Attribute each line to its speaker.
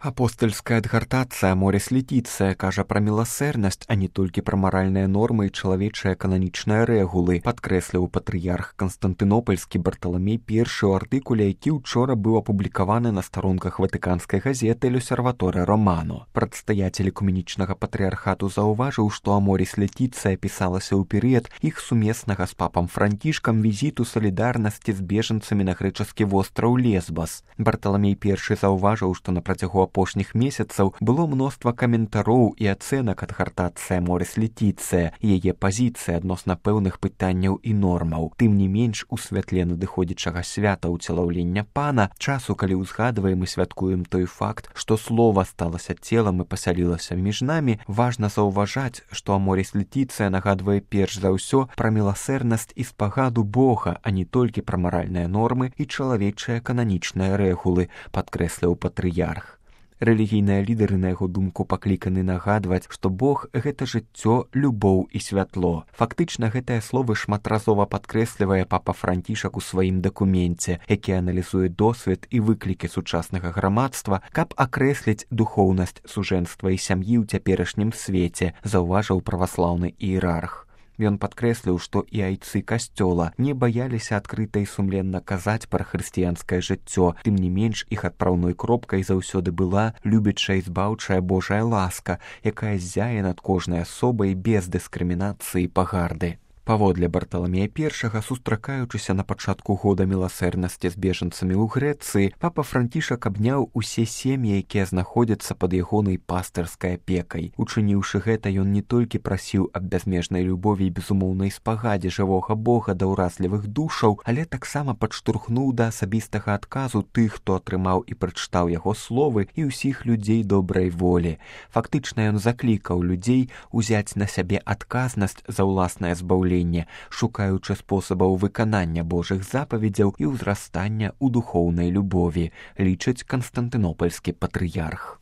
Speaker 1: Апостольская адгартацыя Моріс Летіцыя кажа пра міласэрнасць, а не толькі пра маральныя нормы і чалавечыя кананічныя рэгулы, падкрэсліў патрыярх Канстантынопольскі Барталамей I ў артыкуле, які ўчора быў апублікаваны на старонках ватыканскай газеты «L'Osservatore Romano». Прадстаятель экуменічнага патрыярхату заўважыў, што Моріс Летіцыя пісалася ў перыяд іх сумеснага з папам Францішкам візіту салідарнасці з бежанцамі на грэчаскі востраў Лесбас. Барталамей I заўважыў, што на працягу апошніх месяцаў было мноства каментароў і ацэнак адгартацыя Моріс Летіцыя, яе пазіцыя адносна пэўных пытанняў і нормаў. Тым не менш, у святле надыходзячага свята ўцелаўлення Пана, часу, калі ўзгадваем і святкуем той факт, што слова сталася целам і пасялілася між намі, важна заўважаць, што Моріс Летіцыя нагадвае перш за ўсё пра міласэрнасць і спагаду Бога, а не толькі пра маральныя нормы і чалавечыя кананічныя рэгулы, падкрэсліў патрыярх. Рэлігійныя лідары, на яго думку, пакліканы нагадваць, што Бог – гэта жыццё, любоў і святло. Фактычна, гэтыя словы шматразова падкрэслівае папа Францішак у сваім дакуменце, які аналізуе досвед і выклікі сучаснага грамадства, каб акрэсліць духоўнасць сужэнства і сям'і ў цяперашнім свеце, заўважыў праваслаўны іерарх. Ён падкрэсліў, што і айцы касцёла не баяліся адкрыта і сумленна казаць пра хрысціянскае жыццё, тым не менш іх адпраўной кропкай заўсёды была любячая і збаўчая Божая ласка, якая ззяе над кожнай асобай без дыскрымінацыі і пагарды. Паводле Барталамея I, сустракаючыся на пачатку года міласэрнасці з бежанцамі ў Грэцыі, папа Францішак абняў усе сем'і, якія знаходзяцца пад ягонай пастырскай апекай. Учыніўшы гэта, ён не толькі прасіў аб бязмежнай любові і безумоўнай спагадзе жывога Бога да ўразлівых душаў, але таксама падштурхнуў да асабістага адказу тых, хто атрымаў і прачытаў яго словы, і ўсіх людзей добрай волі. Фактычна ён заклікаў людзей узяць на сябе адказнасць за ўласнае збаўленне, шукаючы спосабаў выканання Божых запаведзяў і ўзрастання ў духоўнай любові, лічыць канстантынопольскі патрыярх.